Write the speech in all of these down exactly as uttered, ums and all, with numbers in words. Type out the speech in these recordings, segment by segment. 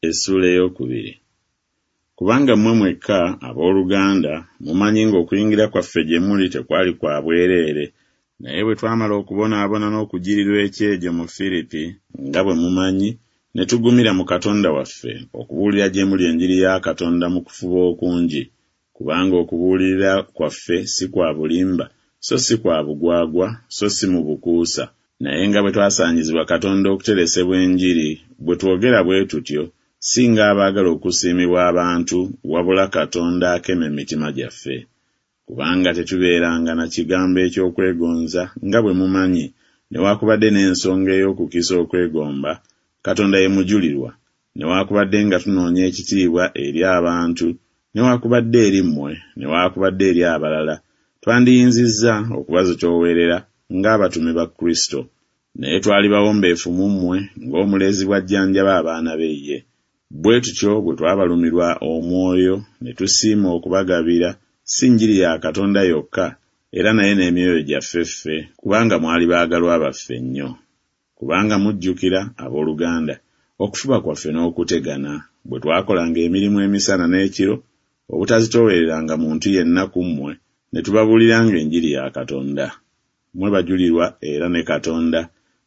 Essuula ey'okubiri. Kubanga mmwe mwekka, abooluganda, mumanyi ng'okuyingira kwaffe gye muli tekwali kwa bwereere, naye bwe twamala okubonaabona n'okujjirirwa ekyejo mu Firipi, nga bwe mumanyi, ne tugumira mu Katonda waffe okubuulira gye muli enjiri ya Katonda mu kufuba okungi. Kubanga okubuulirira kwaffe si kwa bulimba, so si kwa bugwagwa, so si mu bukuusa, naye nga bwe twasaanyizibwa Katonda okuteresebwa enjiri, bwe twogera bwe tutyo, si ng'abaagala okusiimibwa abantu, wabula Katonda akema emitima gyaffe. Kubanga tetubeeranga na kigambo eky'okwegonza, nga bwe mumanyi, newakubadde n'ensonga ey'okukisa okwegomba, Katonda ye mujulirwa, newakubadde nga tunoonya ekitiibwa eri abantu, newakubadde eri mmwe, newakubadde eri abalala, twandiyinzizza okubazitoowerera ng'abatume ba Kristo. Naye twali bawombeefu mu mmwe, ng'omulezi bw'ajjanjaba abaana be ye. Bwe tutyo bwe twabalumirwa omwoyo, ne tusiima okubagabira, si njiri ya Katonda yokka, era naye n'emyoyo gyaffe ffe, kubanga mwali baagalwa baffe nnyo. Kubanga mujjukira, abooluganda, okufuba kwaffe n'okutegana, bwe twakolanga emirimu emisana n'ekiro, obutazitoowereranga muntu yenna ku mmwe, ne tubabuuliranga enjiri ya Katonda. Mmwe bajulirwa era ne Katonda,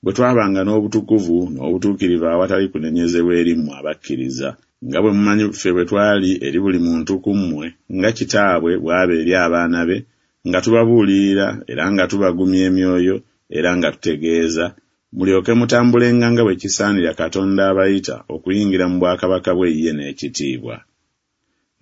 bwe twabanga n'obutukuvu n'obutuukirivu awatali kunenyezebwa eri mmwe abakkiriza, nga bwe mumanyi ffe bwe twali eri buli muntu ku mmwe, nga kitaabwe bw'aba eri abaana be, nga tubabuulirira era nga tubagumya emyoyo era nga tutegeeza, mulyoke mutambulenga nga bwe kisaanira Katonda abayita okuyingira mu bwakabaka bwe ye n'ekitiibwa.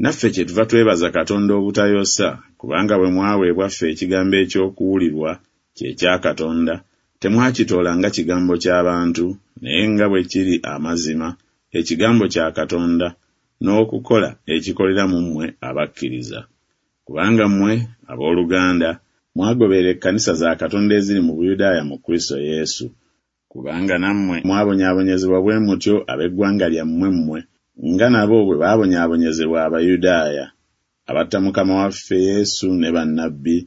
Naffe kyetuva twebaza Katonda obutayosa, kubanga bwe mwaweebwa ffe ekigambo eky'okuwulirwa, kye kya Katonda, temwakitoola nga kigambo ky'abantu, naye nga bwe kiri amazima, ekigambo kya Katonda, n'okukola ekikolera mu mmwe abakkiriza. Kubanga mmwe, abooluganda, mwagoberera ekkanisa za Katonda eziri mu Buyudaaya mu Kristo Yesu. Kubanga nammwe mwabonyaabonyezebwa bwe mutyo ab'eggwanga lyammwe mmwe, nga nabo bwe baabonyaabonyezebwa Abayudaaya, abatta Mukama waffe Yesu ne bannabbi,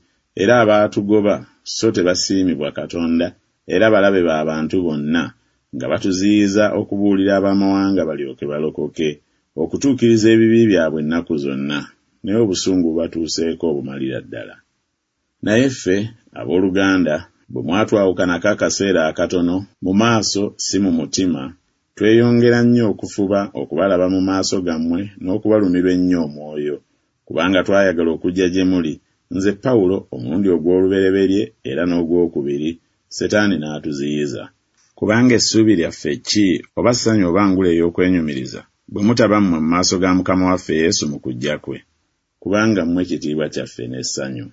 era abaatugoba, so tebasiimibwa Katonda, era balabe ba bantu bonna, nga batuziyiza okubuulira ab'amawanga balyoke balokoke, okutuukiriza ebibi byabwe ennaku zonna, naye obusungu bubatuuseeko obumalira ddala. Naye ffe, abooluganda, bwe mwatwawukanako akaseera akatono, mu maaso si mu mutima, tweyongera nnyo okufuba okubalaba mu maaso gammwe n'okubalumirwa ennyo omwoyo, kubanga twayagala okujja gye muli, nze Pawulo omulundi ogw'olubereberye era n'ogwokubiri, Setaani n'atuziyiza. Kubanga essuubi lyaffe ki, oba ssanyu oba ngule ey'okwenyumiriza, bwe mutaba mmwe mu maaso ga Mukama waffe Yesu mu kujja kwe? Kubanga mmwe kitiibwa kyaffe n'essanyu.